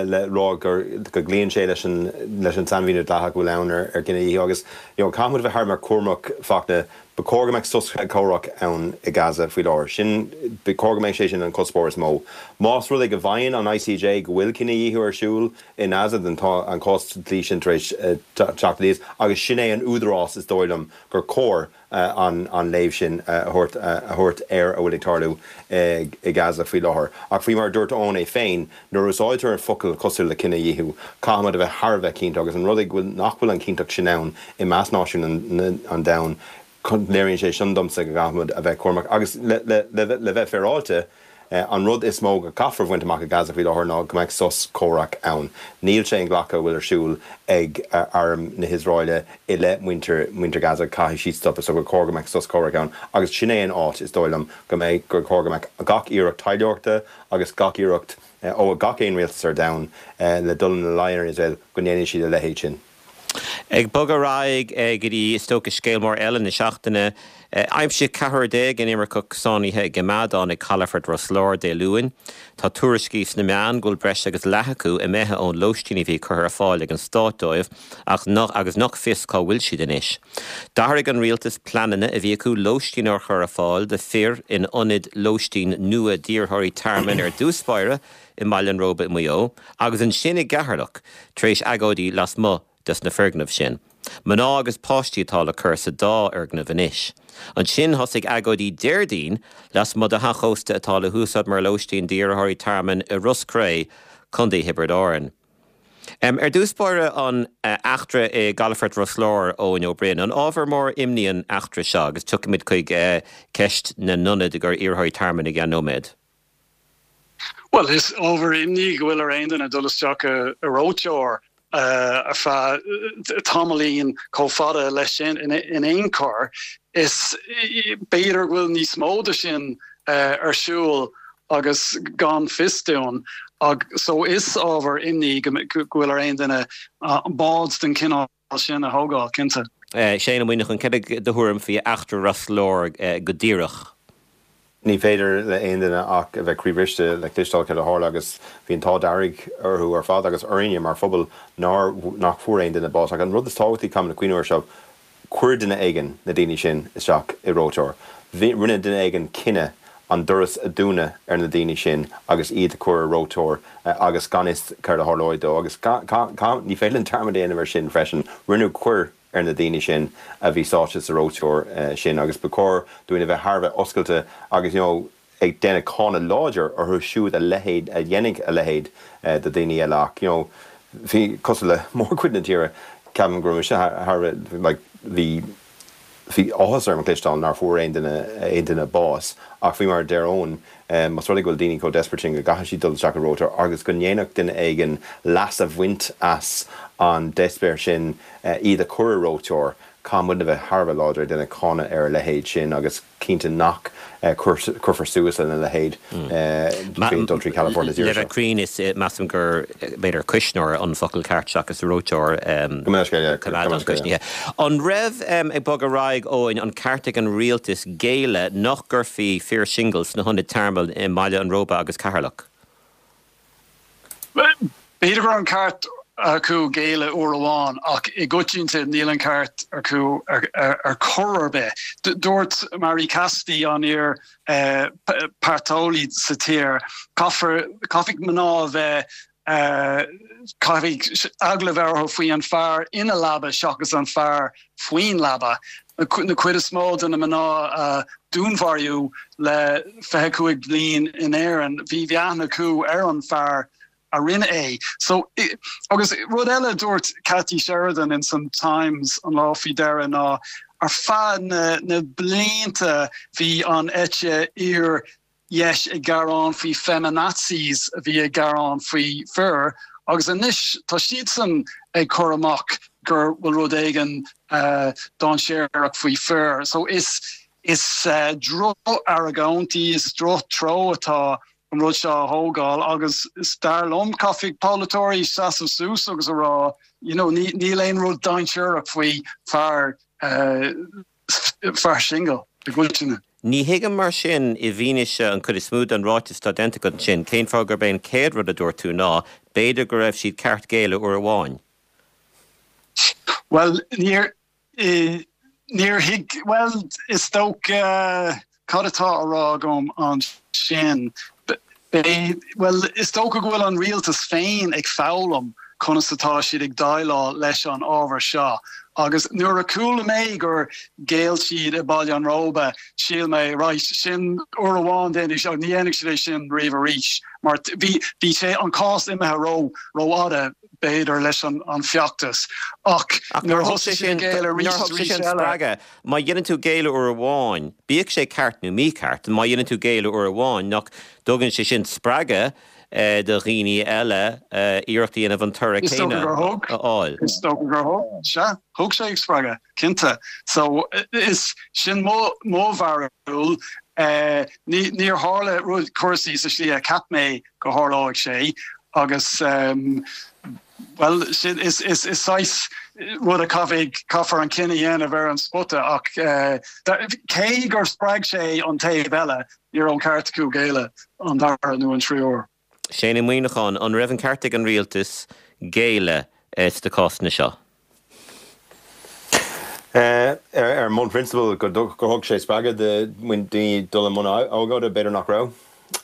le rá gur go gcloíonn sé leis an leis an sainmhíniú dleathach a bhfuil ann ar ar cinedhíothú agus you know caithfidh muid a bheith thar a bheith cúramach Fachtna, ba chóir go mbeadh sos comhraic ann i Gaza faoi láthair. Sin ba chóir go mbeadh sé sin an cuspóir is mó. Más rud é go bhfaigheann an ICJ go bhfuil cinedhíothú ar siúl i nGaza then tá an cás dlí sin tar éis teacht aníos agus sin é an údarás is dóigh liom gur cóir an an léamh sin a thabhairt a thabhairt ar a bhfuil ag tarlú i Gaza faoi láthair. Ach faoi mar a dúirt Eoin é féin, nuair a úsáidtear an focal cosúil le cinedhíothú, caithfimid a bheith thar a bheith cinnte agus an rud é go bhfuil nach bhfuil an chinnteacht sin ann i measc náisiúin an an domhain, léiríonn sé sin domsa go gcaithfimid a bheith cúramach agus le le le le bheith féaráilte, an rud is mó go gcaithfear a bhaint amach i Gaza faoi láthair ná go mbeadh sos comhraic ann. Níl sé inghlactha a bhfuil ar siúl ag arm na hIosraeile i leith muintir muintir Gaza, caithfidh siad stopadh so gur chóir go mbeadh sos comhraic ann agus sin é an áit is dóigh liom go mbeidh gur chóir go mbeadh gach iarracht taidhleoireachta agus gach iarracht ó gach aon rialtas ar domhan le dul ina luí ar Iosrael go ndéanfaidh siad a leithéid sin. Ag bogadh ar aghaidh go dtí is dócha scéal mór eile na seachtaine, aimsíodh ceathrar déag inimirceach sáinnithe i gcoimeádán ag Calafort Ros Láir Dé Luain. Tá tuairiscí sna meáin go bhfuil breis agus leath acu imithe ón lóistín a bhí curtha ar fáil ag an stát dóibh ach nach agus nach fios cá bhfuil siad anois. D'athraigh an rialtas pleananna a bhí acu lóistín a chur ar fáil do fir in ionad lóistín nua d'iarrthóirí tearmainn ar dtús báire i mBaile an Róba i Maigh Eo agus ansin i gCeatharlach tar éis agóidí lasmuigh des na foirgnimh sin. Mná agus páistí atá le cur sa dá fhoirgneamh anois. Ansin thosaigh agóidí Déardaoin lasmuigh de theach ósta atá le húsáid mar lóistín d'iarrthóirí tearmainn i Ros Cré, Contae Thiobraid Árann. Ar dtús báire an eachtra i gCalafort Ros Láir Eoin Ó Broin, an ábhar mór imní an eachtra seo agus tiocfaimid chuig ceist na n-ionad i gcomhair iarrthóirí tearmainn i gceann nóiméad. Bhuel, is ábhar imní go bhfuil ar aon duine dul isteach i reoiteoir ar feadh tamaillín chomh fada leis sin in aon chor. Is b'fhéidir go bhfuil níos mó de sin ar siúl agus gan fios dúinn. So is ábhar imní go bhfuil ar aon duine bád den chineál sin a thógáil, cinnte. Shane Ó Muíneacháin, cad é do thuairim faoi eachtra Ros Láir go díreach? Ní féidir le aon duine ach a bheith croíbhriste le cloisteáil céard a tharla agus bhí an t-ádh dearg orthu ar fad agus orainne mar phobal nár nach fuair aon duine bás. Ach an rud is tábhachtaí caithfimid cuimhniú air seo, chuir duine éigin na daoine sin isteach i reoiteoir. Rinne duine éigin cinneadh an doras a dúnadh ar na daoine sin agus iad a chur i reoiteoir agus gan fhios céard a tharlóidh dó. Agus ní féidir linn dearmad a dhéanamh air sin freisin. Rinneadh coir ar na daoine sin a bhí sáite sa reoiteoir sin agus ba chóir dúinn a bheith thar a bheith oscailte agus you know ag déanamh cáineadh láidir orthu siúd a leithéid a dhéanfaidh a leithéid de dhaoine eile ach you know bhí cosúil le mórchuid na tíre ceapaim go raibh mise thar a bheith like bhí bhí áthas orm a chloisteáil nár fuair aon duine aon duine bás ach faoi mar a deir Eoin más rud é go bhfuil daoine chomh desperate sin go gcaithfidh siad dul isteach i reoiteoir agus go ndéanfadh duine éigin leas a bhaint as an deisbéir sin iad a chur i reoiteoir, caithfidh muidne a bheith thar a bheith láidir ag déanamh cáineadh ar a leithéid sin agus cinnte nach cuirfear suas lena leithéid trí dul trí chalafort na tíre Le seo. bheith cruinn is measaim gur b'fhéidir cuisneoir an focal ceart seachas reoiteoir Go mbeadh sé, yeah, go coimeádán mbeadh sé, yeah. cuisnithe. An raibh ag bogadh ar aghaidh Eoin an ceart ag an rialtas géilleadh nach gcuirfí fir singil sna hionaid tearmainn i mBaile an Róba agus Ceatharlach? B'fhéidir go raibh an ceart acu géilleadh uair amháin ach i gcoitinne níl an ceart acu ar chor ar bith. Dúirt Marie Cassidy an iar páirteolaí sa tír, caithfear caithfidh mná a bheith caithfidh eagla bheith orthu faoi an fear ina leaba seachas an fear faoin leaba. Na cuid is mó de na mná a dúnmharaíodh le fiche cúig bliain in Éirinn, bhí aithne acu ar an fear a rinne é. So agus rud eile dúirt Cathy Sheridan in san Times an lá faoi dheireadh ná ar feadh na, na blianta bhí an eite fhíordheis ag gearán faoi feminazis a bhí ag gearán faoi fir agus anois tá siadsan ag cur amach gur bhfuil rud éigin uh, dainséarach faoi fir. So is is uh, droch-argóint í is drochtreo atá an rud seo a thógáil agus is dar liom caithfidh polaiteoirí seasamh suas agus a rá you know, níl aon rud dainséarach faoi fear uh, fear singil i gcoitinne. Ní thuigim mar sin i bhfianaise an chuid is mó den ráiteas atá déanta agat ansin, cén fáth gurb é an chéad rud a dúirt tú ná b'fhéidir go raibh siad ceart géilleadh uair amháin. Well níor níor thuig well is dócha uh, cad atá á rá agam ansin well is dócha go bhfuil an rialtas féin ag foghlaim conas atá siad ag déileáil leis an ábhar seo. Agus nuair a chuala mé gur ghéill siad i Baile an Róba shíl mé right sin uair amháin den seo ní dhéanfaidh siad é sin riamh arís mar bhí bhí sé an cás imithe ró rófhada b'fhéidir leis an an feachtas ach nuair thosaigh sin spreagadh má dhéanann tú géilleadh uair amháin bíodh sé ceart nó mícheart má dhéanann tú géilleadh uair amháin nach dtugann sé sin spreagadh eh, do dhaoine eile eh, iarracht a dhéanamh an toradh céanna a fháil. Is dócha gur thug sé thug sé spreagadh cinnte so is sin mo mo bharúil eh, níor tharla rud cúrsaí sa slí a cheap mé go tharlódh sé agus um, well sin is is is saghas rud a caithfidh caithfear an cinneadh a dhéanamh ar an spota ach uh, cé gur spreag sé an taobh eile ní raibh an ceart acu géilleadh an dara nó an tríú huair. Shane Ó Muimhneacháin an raibh an ceart ag an rialtas géilleadh sna cásanna seo. Uh, ar ar mbonn prionsabail go gur thug sé spreagadh do daoine dul i mbun agóide b'fhéidir nach raibh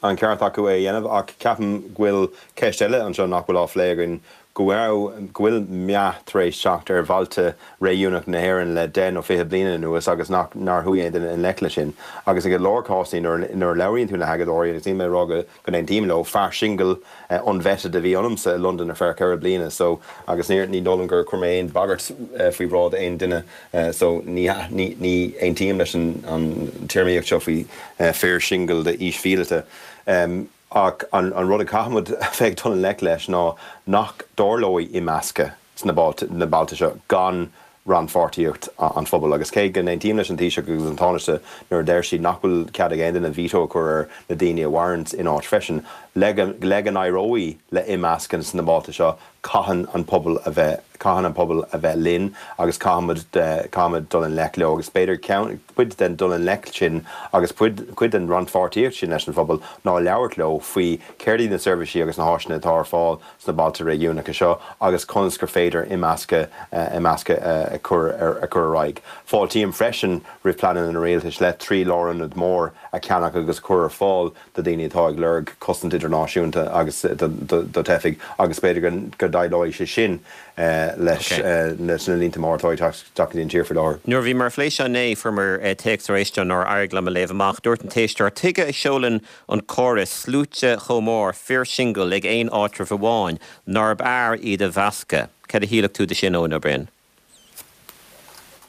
an ceart acu é a dhéanamh ach ceapaim go bhfuil ceist eile anseo nach bhfuil á phlé againn go bhfuil go bhfuil meath tar éis teacht ar bhailte réigiúnacha na hÉireann le deich nó fiche bliain anuas agus nach nár chuaigh aon duine i ngleic leis sin. Agus ag go leor cásanna nuair nuair labhraíonn tú le hagóideoirí agus níl mé ag rá go go n-aontaím leo fear singil uh, unvetted a bhí ionamsa i London ar feadh ceithre bliana so agus ní ní dóigh liom gur chuir mé aon bagairt uh, faoi bhráid aon duine uh, so ní ní ní aontaím leis an an téarmaíocht seo faoi uh, fear singil de aois mhíleata. Um, ach an, an rud a caithfimid bheith dul i ngleic leis ná nach dtarlóidh imeascadh sna na bailte seo gan rannpháirtíocht an phobail agus cé go n-aontaím leis an Taoiseach agus an Tánaiste nuair a deir siad nach bhfuil cead ag aon duine veto a chur ar na daoine a mhaireann in áit freisin le le go n-éireoidh le imeascadh sna bailte seo caitheann an pobal a bheith caitheann an pobal a bheith linn agus caithfimid caithfimid dul i ngleic leo agus b'fhéidir cuid den dul i ngleic sin agus cuid den rannpháirtíocht sin leis an phobal ná labhairt leo faoi céard iad na seirbhísí agus na háiseanna atá ar fáil sna bailte réigiúnacha seo agus conas gur féidir imeascadh imeascadh a chur ar a chur ar aghaidh. Fáiltím freisin roimh pleananna an rialtais le trí lárionad mór a cheannach agus chur ar fáil do daoine atá ag lorg cosaint idirnáisiúnta agus do theifigh agus b'fhéidir go déileoidh sé sin leis leis na línte móra atá ag teacht an tír faoi láthair. Nuair bhí mar phléis né fuair téacs ar éisteoir nár éirigh liom a léamh amach dúirt an t-éisteoir tuige a seolann an córas sluaite chomh mór fir singil ag aon áitreabh amháin nárbh fhearr iad a mheascadh. Cad a shíleann tú de sin Eoin Ó Broin?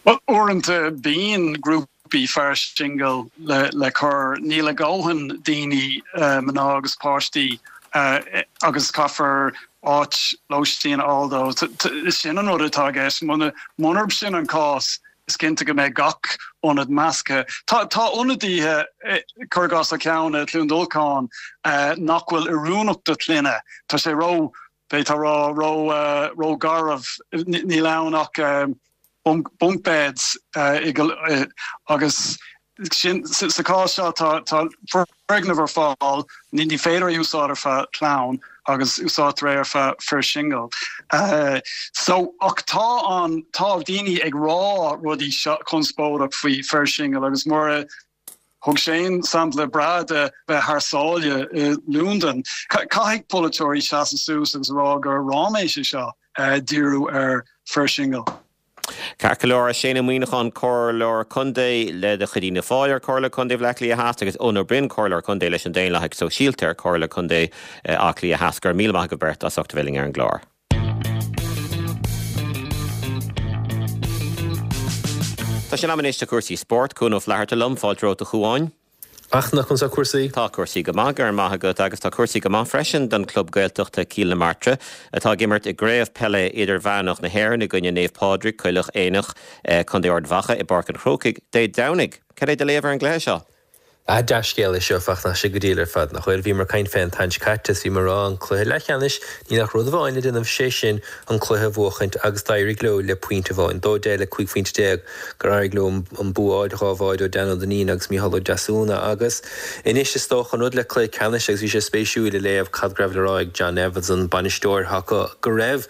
Well uaireanta bíonn grúpaí fear singil le le cur níl a ndóthain daoine uh, mná agus páistí uh, agus caithfear áit lóistín a fháil dóibh sin an rud atá aige munarb sin an cás is cinnte go mbeidh gach ionad measctha. Tá tá ionadaithe cuir i gcás ceann i Cluain Dolcáin nach bhfuil oiriúnach do clainne. Tá sé ró b'fhéidir ró ró ró garbh níl ann ach bunk bunk beds agus sin sa chás seo tá tá foirgneamh ar fáil ní ní féidir úsáid ar feadh clann agus úsáidtear ar feadh fir singil. Uh, so ach tá an tá daoine ag rá rudaí conspóideach faoi fir singil agus mar thug Shane sampla breá de bheith thar sáile i Londain. Caithfidh polaiteoirí seasamh suas agus rá gur ráiméis é seo uh, díriú ar fir singil. Ceart go leor, Shane Ó Muíneacháin, Comhairleoir Contae le de chuid Fhianna Fáil ar Comhairle Contae Bhaile Átha Cliath Theas agus Eoin Ó Broin, Comhairleoir Contae leis an Daonlathas Sóisialta ar Comhairle Contae Átha Cliath Theas. Go raibh míle maith agaibh beirt as ucht a bheith linn ar an gclár. Tá sé in am anois do chúrsaí spóirt. Cuan Ó Flatharta liom, fáilte romhat a Chuáin. A Fhachtna, conas tá cúrsaí? Tá cúrsaí go maith, go raibh maith agat, agus tá cúrsaí go maith freisin don chlub Gaeltachta Cill na Martra, atá ag imirt i gCraobh Peile Idirmheánach na hÉireann i gcoinne Naomh Pádraig, Coileach Éanach, Contae Ard Mhacha i bPáirc an Chrócaigh Dé Domhnaigh. Cad é do léamh ar an gcluiche seo? Ah, dea-scéal é seo, a Fhachtna, tá sé go diail ar fad, nach bhfuil? Bhíomar ag caint fé an tseachtain seo caite is bhíomar ag rá an cluiche leathcheannais, níl ach rud amháin le déanamh, sé sin an cluiche a bhuachaint agus d'éirigh leo le pointe amháin, dó deich le cúig phointe déag gur éirigh leo an bua a fháil, dhá bháide ó Dan Ó Duinnín agus Mícheál Ó Deasúna agus anois is dócha an rud le cluiche ceannais agus bhí sé spéisiúil a léamh cad go raibh le rá ag John Evans an bainisteoir acu go raibh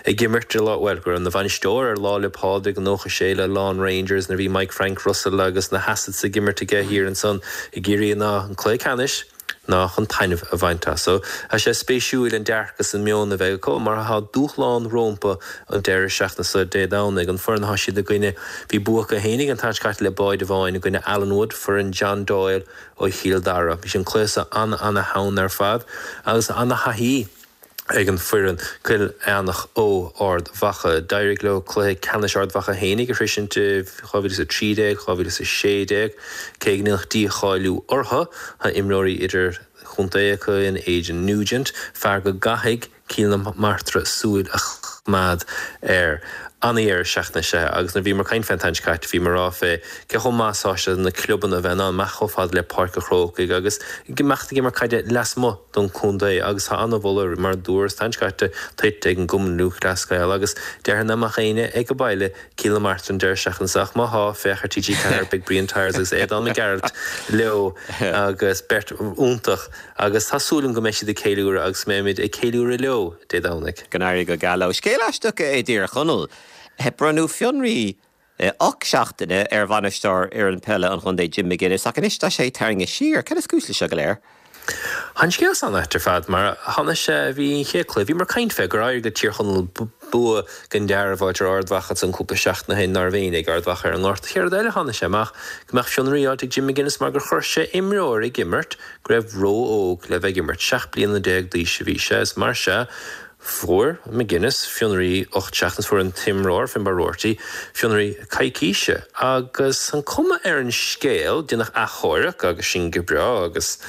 ag imirt ar lá, bhuel go raibh ina bhainisteoir ar Lá 'le Pádraig i nócha sé le Laune Rangers nuair a bhí Mike Frank Russell agus na hAssets ag imirt aige thiar ansan i gCiarraí ná an cluiche ceannais. ná chun taitneamh a bhaint as. So, tá sé spéisiúil an dearcadh is an meon a bheidh acu mar tá dúshlán rómpa an deireadh seachtaine seo Dé Domhnaigh. An foireann atá siad i gcoinne, bhí bua acu fhéinig an tseachtain seo caite le báide amháin i gcoinne Allenwood, foireann John Doyle ó Chill Dara. Bhí an cluiche seo an-an-theann ar fad agus an-thaithí ag an foireann Cill Eanach ó Ard Mhacha. D'éirigh leo cluiche ceannais Ard Mhacha fhéinig a shroisint i dhá mhíle is a trí déag, dhá mhíle is a sé déag. Cé go ndéanadh dícháiliú orthu, tá imreoirí idirchontae acu in Aidan Nugent, fear go gcaithfidh Cill na Martra súil a choimeád air. An-dheireadh seachtaine is ea agus nuair a bhíomar ag caint fé an tseachtain seo caite bhíomar ag rá fé cé chomh maith is atá sé do na clubanna a bheith in ann imeacht chomh fada le Páirc an Chrócaigh agus imeacht ag imirt caide lasmuigh don chontae agus tá an-mholadh mar a dúras an tseachtain seo caite tuillte ag an gCumann Lúthchleas Gael agus déarfainn nach mbeadh éinne ag baile Cill na Martra an deireadh seachtaine seo ach má thá, féach ar T G ceathair beidh Brian Tyers agus Aodán Mac Gearailt leo agus beirt iontach agus tá súil agam go mbeidh siad ag ceiliúradh agus go mbeimid ag ceiliúradh leo Dé Domhnaigh. Go n-éirí go geal leo. Scéal aisteach i dTír Chonaill. Bronnadh fionraí ocht seachtaine ar bhainisteoir fhoireann peile an chontae Jim McGuinness ach anois tá sé tarraingthe siar. Cad is cúis leis seo go léir? Tá an scéal san ait ar fad mar tháinig sé, bhí an chéad chluiche, bhíomar ag caint fé gur éirigh le Tír Chonaill bua den dealramh a fháilt ar Ard Mhacha ansan cúpla seachtain ó shin ná raibh éinne ag Ard Mhacha ar an ngort. Chéad rud eile tháinig sé amach go mbeadh fionraí fháilte ag Jim McGuinness mar gur chuir sé imreoir ag imirt go raibh ró-óg le bheith ag imirt, seacht bliana déag d'aois a bhí sé is mar sea fuair McGuinness fionraí ocht seachtain is fuair an t-imreoir, Finbarr Roarty, fionraí coicíse. Agus an cuma ar an scéal, déanadh achomharc agus sin go breá agus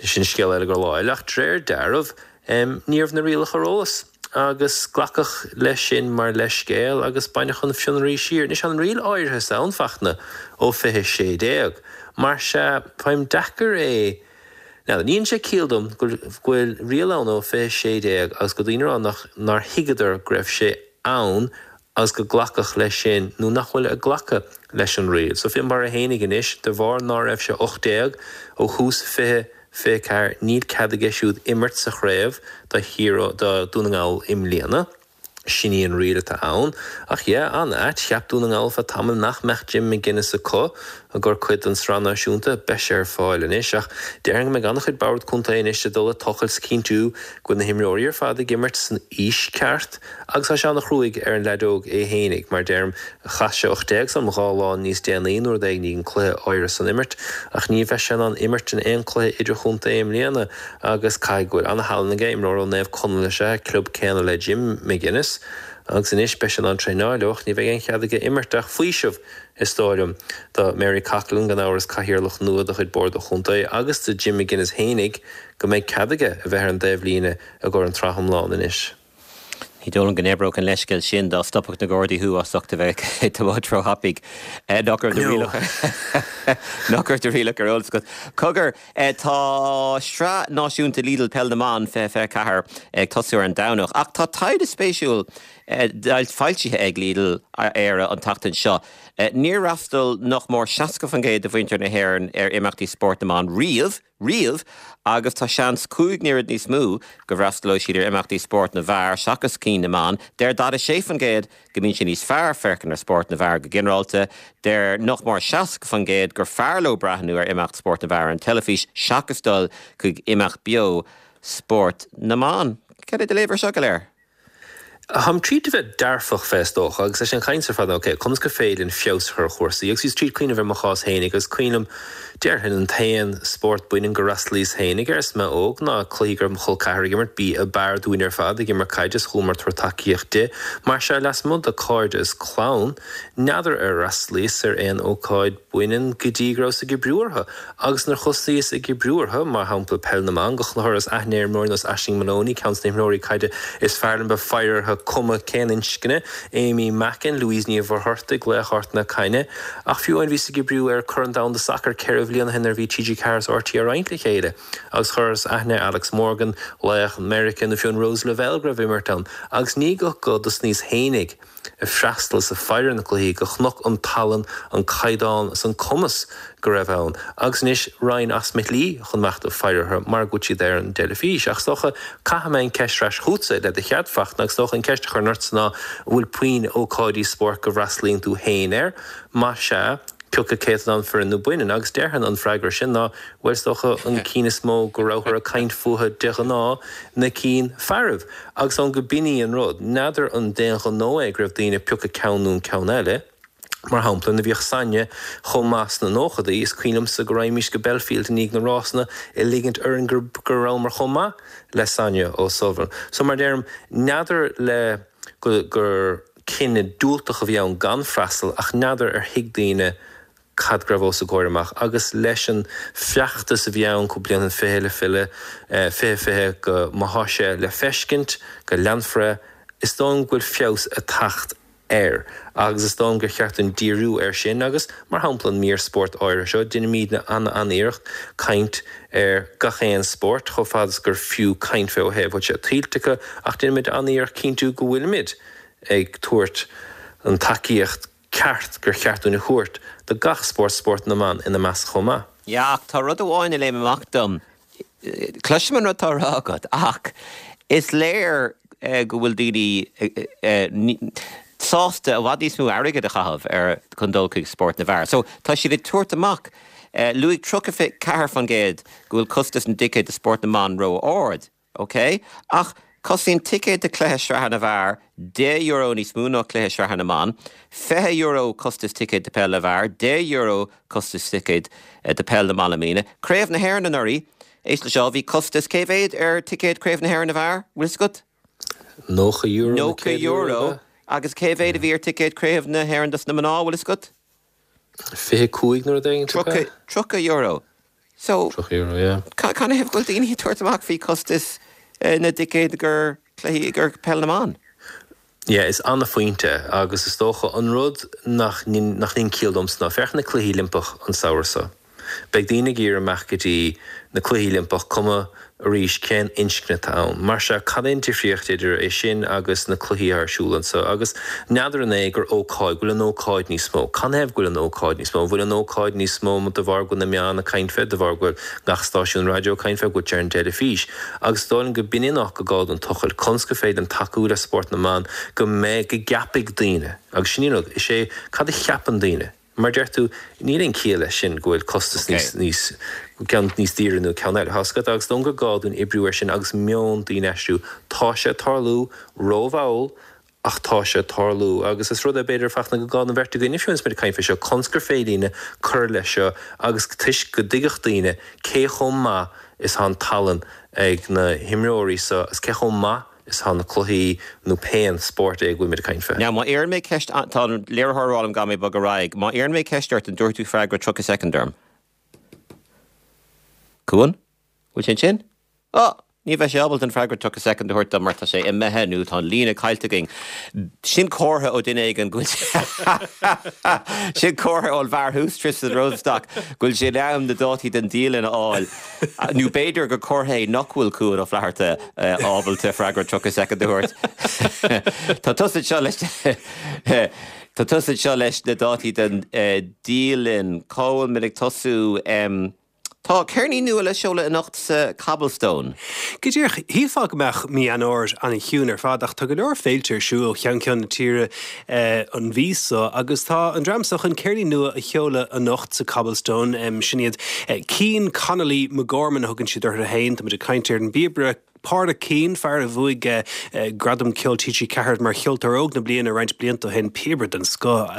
sin scéal eile go lá eile ach d'réir dealraimh, ní raibh na rialacha ar eolas agus glacadh leis sin mar leithscéal agus baineadh an fionraí siar. Anois an riail áirithe san a Fhachtna ó fiche sé déag. Mar sea, faighim deacair é. Now, ní dhéanann sé ciall dom go bhfuil riail ann ó fiche sé déag agus go daoine a rá nach nár thuigeadar go raibh sé ann agus go glacadh leis sin nó nach bhfuil ag glacadh leis an riail. So Finbarr é fhéinig anois, de bharr ná raibh sé ocht déag ó thús fiche fiche ceathair níl cead aige siúd imirt sa chraobh do Thír do Dún na nGall i mbliana. Sin í an riail atá ann. Ach yeah, an-ait, cheap Dún na nGall feadh tamaill nach mbeadh Jim McGuinness acu i gcomhair cuid den tSraith Náisiúnta. Beidh sé ar fáil anois. Ach déarfainn go mbeidh an-chuid bord contae anois ag dul ag tochailt 's cinntiú go bhfuil na himreoirí ar fad ag imirt san aois ceart. Agus tá sé an-chruaidh ar an leaid óg é fhéinig. Mar deirim, chaith sé ocht déag sam dhá lá níos déanaí nó rud éigin an cluiche áirithe san imirt. Ach ní bheidh sé in ann imirt in aon cluiche idirchontae i mbliana. Agus caithfidh go bhfuil an-thallann aige, imreoir ó Naomh Conaill is ea, club céanna le Jim McGuinness, agus anois beidh sé in ann traenáil leo ach ní bheidh aon chead aige imirt ach faoiseamh, is dóigh liom, do Mary Coughlan, gan amhras, cathaoirleach nua de chuid Bord an Chontae, agus do Jim McGuinness fhéinig go mbeidh cead aige a bheith ar an dtaobhlíne i gcomhair an tsraith iomlán anois. Ní dóigh liom go n-oibreodh an leithscéal sin dá stopfadh na Gardaí thú as ucht a bheith ag tiomáint róthapaidh. Nach raibh do rialacha nach raibh do rialacha ar eolas agat. Cogar, tá Sraith Náisiúnta Lidl Peil na mBan fiche fiche ceathair ag tosú ar an Domhnach ach tá taighde spéisiúil foilsithe ag Lidl Éire an tseachtain seo. Níor fhreastail nach mór seasca faoin gcéad de mhuintir na hÉireann ar imeachtaí spóirt na mban riamh. riamh agus tá seans cúig n-oiread níos mó go bhfreastalóidh siad ar imeachtaí spóirt na bhfear seachas cinn na mban. Deir daichead a sé faoin gcéad go mbíonn sé níos fearr féachaint ar spórt na bhfear go ginearálta. Deir nach mór seasca faoin gcéad gur fearr leo breathnú ar imeacht spóirt na bhfear ar an teilifís seachas dul chuig imeacht beo spóirt na mban. Cad é do léamh ar seo go léir? Táim tríd a bheith dearfach fé is dócha agus leis an chaint ar fad ok, conas gur féidir linn feabhas a chur ar chúrsaí agus bhíos tríd cuimhneamh ar mo chás fhéinig agus cuimhin liom déarfainn an t-aon spórt baineann gur fhreastalaíos fhéinig air is mé óg ná cluichí go raibh mo chol ceathar ag imirt, b'í ab fhearr dúinn ar fad ag imirt caide is chuamar tabhairt tacaíocht di. Mar sea, lasmuigh de cairde is clann, n'fheadar ar fhreastalaíos ar aon ócáid baineann go dtí go rabhas ag oibriú orthu agus nuair thosaíos ag oibriú orthu, mar shampla peil na mban, go chuireas aithne ar imreoirí nós Aisling Moloney, ceann de na himreoirí caide is fearr liom bheith faire orthu, cuma cén inscne, Amy Mackin, Louise Ní Mhuircheartaigh, laoch Ard na Caithne. Ach fiú amháin bhíos ag oibriú ar Corn Domhanda Sacair ceithre bhliain ó shin nuair a bhí T G ceathair is R T É á roinnt le chéile agus chuireas aithne ar Alex Morgan, laoch Meiriceá, nó fiú an Rose Lavelle go raibh imirt ann agus ní go go dtosnaíos fhéinig ag freastal is ag faire ar na cluichí go chonac an tallann, an caighdeán is an cumas go raibh ann. Agus anois raghainn as mo shlí chun imeacht ag faire orthu mar go bhfuil siad ar an dteilifís. Ach is dócha, caithfidh mé an ceist ar ais chugatsa le do chead, Fachtna, agus is dócha an ceist a chuirfinn ortsa ná an bhfuil puinn ócáidí spóirt go bhfreastalaíonn tú féin air? Más ea, cioca céatadán fireann nó baineann? Agus déarfainn an freagra sin ná, bhuel, is dócha an cinn is mó go rabhthar ag caint fúthu de ghnáth, na cinn fearaibh. Agus ann go b'in í an rud. N'fheadar an d'aon ghnó é go raibh daoine ag piocadh ceann nó an ceann eile. Mar shampla, nuair a bhíodh Sonia chomh maith sna nóchadaí, is cuimhin liomsa go raghaimís go Belfield i ndiaidh na rásanna ag ligint orainn go rabhamar chomh maith le Sonia O'Sullivan. So mar deirim, n'fheadar le go gur cinneadh diúltach a bhí ann gan freastal ach n'fheadar ar thuig daoine cad go raibh os a gcomhair amach agus leis an feachtas a bhí ann cúpla bliain ó shin fiche le filleadh, fiche fiche go má thá sé le feiscint go leanfar é, is dóigh liom go bhfuil feabhas ag teacht air agus is dóigh liom gur cheart dúinn díriú air sin agus mar shampla an mír spóirt áirithe seo, deinimídne an-an-iarracht caint ar gach aon spórt chomh fada is gur fiú caint fé ó thaobh bhfuil sé tuillte acu ach deinimid an-iarracht cinntiú go bhfuilimid ag tabhairt an tacaíocht ceart gur cheart dúinn a thabhairt do gach spórt, spórt na mban ina measc chomh maith. Yeah, ach tá rud amháin a léim amach dom. Cloisim an rud atá á rá agat, ach is léir go bhfuil daoine sásta i bhfad níos mó airgid a chaitheamh ar chun dul chuig spórt na bhfear. So tá siad ag tabhairt amach, luaigh tríocha ceathair faoin gcéad go bhfuil costas na dticéad do spórt na mban ró-ard. Ok, ach cosnaíonn ticéad do chluiche sraithe na bhfear deich euro níos mó ná cluiche sraithe na mban, fiche euro costas ticéad do peil na bhfear, deich euro costas ticéad do peil na mban i mbliana. Craobh na hÉireann anuraidh, éist le seo, bhí costas cé mhéad ar ticéad Craobh na hÉireann na bhfear, bhfuil fhios agat? Nócha euro nó Nócha céad euro, euro. ab ea? Agus cé mhéad a bhí ar ticéad Craobh na hÉireann dos na mná, bhfuil fhios agat? Fiche cúig nó rud éigin, ab ea? Tríocha, tríocha euro. So, Tríocha euro, yeah. Canathaobh go bhfuil daoine ag tabhairt amach faoi chostas na dticéad gur cluichí gur peil na mban? Yeah, is ana-phointe agus is dócha an rud nach nach níonn ciall domsa ná féach na Cluichí Oilimpeach an samhradh seo. Beidh daoine ag iarraidh imeacht go dtí na Cluichí Oilimpeach cuma arís cén inscne atá ann. Mar sea, cad é an difríocht idir é sin agus na cluichí atá ar siúl anseo? Agus n'fheadar an é gur ócáid, go bhfuil an ócáid níos mó? Canathaobh go bhfuil an ócáid níos mó? An bhfuil an ócáid níos mó de bharr go bhfuil na meáin ag caint fé, de bharr go bhfuil gach stáisiún raidió ag caint fé, go bhfuil sé ar an dteilifís? Agus is dóigh liom go b'in é an áit go gá don tochailt, conas gur féidir linn tacú le spórt na mban, go mbeidh, go gceapfaidh daoine, agus sin í an rud, is é cad a cheapann daoine? Mar deir tú, níl aon chiall leis sin go bhfuil costas níos, níos, ceann níos daoire nó ceann eile. Tá 'fhios agat, agus is dóigh liom gur gá dúinn oibriú air sin agus meon daoine a aistriú. Tá sé ag tarlú rómhall ach tá sé ag tarlú agus is rud é b'fhéidir Fachtna go gá don bheirt againne fiú agus muid ag caint faoi seo, conas gur féidir linne cur leis seo agus toisc go dtuigfeadh daoine cé chomh maith is atá an tallann ag na himreoirí seo is cé chomh maith is atá na cluichí nó pé spórt é go bhfuil muid ag caint fé. Now, má iarrann mé ceist, tá an léiritheoir ag rá liom go mbeidh bog ar aghaidh, má iarrann mé ceist ort, an dtabharfaidh tú freagra tríocha soicind orm? Cuan? Bhfuil sé ansin? Ó! Ní bheidh sé ábalta an freagra tríocha soicind a thabhairt dom mar tá sé imithe nó tá an líne caillte againn. Sin comhartha ó duine éigin go bhfuil Sin comhartha ón bhfear thuas, Tristan Rosenstock, go bhfuil sé in am na dátaí den dialann a fháil. Nó b'fhéidir gur comhartha é nach bhfuil Cuan Ó Flatharta ábalta freagra tríocha soicind a thabhairt. Tá tusa anseo leis Tá tusa anseo leis na dátaí den dialann. Cá bhfuil muid ag tosú? Tá ceirnín nua le seoladh anocht sa Cobblestone. Go díreach, shílfeá go mbeadh mí Eanáir an-chiúin ar fad ach tá go leor féilte ar siúl ó cheann ceann na tíre an mhí seo agus tá an dream seo chun ceirnín nua a sheoladh anocht sa Cobblestone. Sin iad Cian Connolly McGorman a thugann siad orthu féin. Tá muid ag caint ar an bpíobaire Pádraic Keane, fear a bhuaigh Gradam Ceoil T G Ceathair mar Cheoltóir Óg na Bliana roinnt blianta ó shin, píobaire den scoth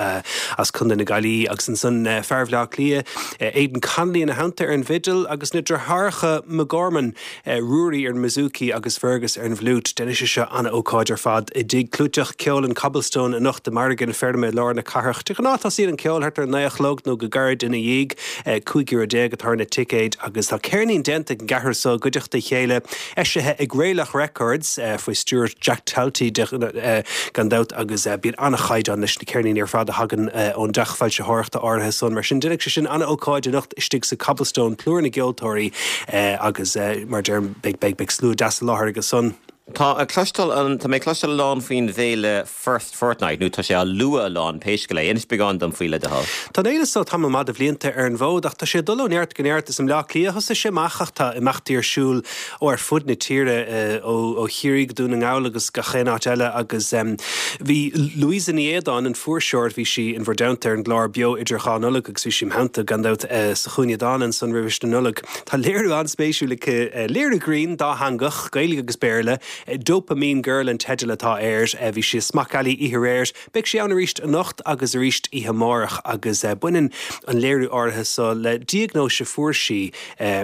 as Contae na Gaillimhe, agus ansan fear Bhaile Átha Cliath, Aidan Connolly ina theannta ar an bhfidil agus na deartháireacha McGorman, Ruairí ar an mbouzouki agus Fergus ar an bhfliúit. Déanfaidh sé seo an-ócáid ar fad i dtigh clúiteach ceoil an Cobblestone anocht i Margadh na Feirme i lár na cathrach. De ghnáth tosaíonn an ceol thart ar a naoi a chlog nó go gairid ina dhiaidh. Cúig euro déag atá ar na ticéid agus tá ceirnín déanta ag an gceathrar seo i gcuideachta a chéile, eisithe ag Raelach Records faoi stiúir Jack Talty gan dabht agus bíonn an-chaighdeán leis na ceirníní ar fad a thagann ón dteach foilsitheoireachta áirithe san. Mar sin déanfaidh sé sin an-ócáid anocht istigh sa Cobblestone, plúr na gceoltóirí agus mar a deirim beidh beidh beidh slua deas i láthair aige san. Tá a cloisteáil an tá mé ag cloisteáil a lán faoin bhféile First Fortnight nó tá sé á lua a lán pé scéal é. Inis beagán dom faoi le do thoil. Tá an fhéile seo tamall maith de bhlianta ar an bhfód ach tá sé ag dul ó neart go neart. Is i mBleá Cliath a thosaigh sé amach ach tá imeachtaí ar siúl ó ar fud na tíre, ó ó Chiarraí go Dún na nGall agus gach aon áit eile agus bhí Louisa Ní Éadáin, an fuirseoir, bhí sí in bhur dteannta ar an gclár Beo Idir Dhá Nollaig agus bhí sí im theannta gan dabht sa Chúinne Dána ansan roimhis na Nollag. Tá léiriú an-spéisiúil aici, léiriú grinn dátheangach, Gaeilge agus Béarla, Dopamine Girl an teideal atá air. Bhí sí i Smock Alley oíche aréir. Beidh sí ann arís anocht agus arís oíche amárach agus baineann an léiriú áirithe seo le diagnóis a fuair sí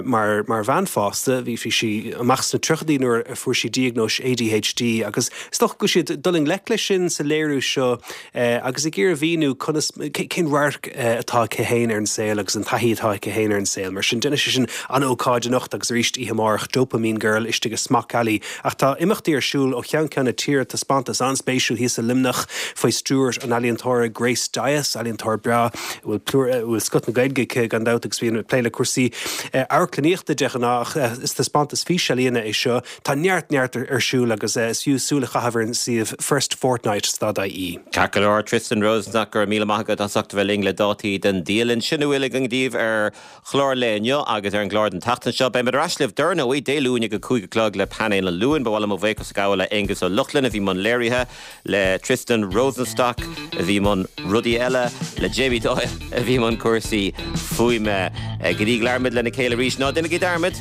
mar mar bhean fásta. Bhí bhí sí amach sna tríochaidí nuair a fuair sí diagnóis A D H D agus is dócha go bhfuil sí ag dul i ngleic leis sin sa léiriú seo agus ag iarraidh a mhíniú conas cén radharc atá aici féin ar an saol agus an taithí atá aici féin ar an saol. Mar sin déanfaidh sé sin an-ócáid anocht agus arís oíche amárach Dopamine Girl istigh i Smock Alley. Ach tá imeachtaí ar siúl ó cheann ceann na tíre, taispeántas an-spéisiúil thíos i Luimneach faoi stiúir an ealaíontóra Grace Dyas, ealaíontóir breá a bhfuil plúr, a bhfuil scoth na Gaeilge aici gan dabht agus bíonn ag plé le cúrsaí amharclannaíochta de ghnáth ach is taispeántas físealaíne é seo. Tá neart neart ar siúl agus is fiú súil a chaitheamh ar an suíomh firstfortnight dot ie. Ceart go leor, Tristan Rosenstock, go raibh míle maith agat as ucht a bheith linn le dátaí den dialann. Sin a bhfuil againn daoibh ar chlár an lae inniu agus ar an gclár den tseachtain seo. Beimid ar ais libh dar ndóigh Dé Luain ag a cúig a chlog le Painéal an Luain. Ba mhaith liom mo bhuíochas a ghabháil le Aengus Ó Lochlainn a bhí i mbun léirithe, le Tristan Rosenstock a bhí i mbun rudaí eile, le Jamie Doyle a bhí i mbun cúrsaí fuaime. Go dtí go labhraímid lena chéile arís, ná déanaigí dearmad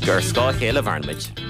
gur ar scáth a chéile a mhaireann muid.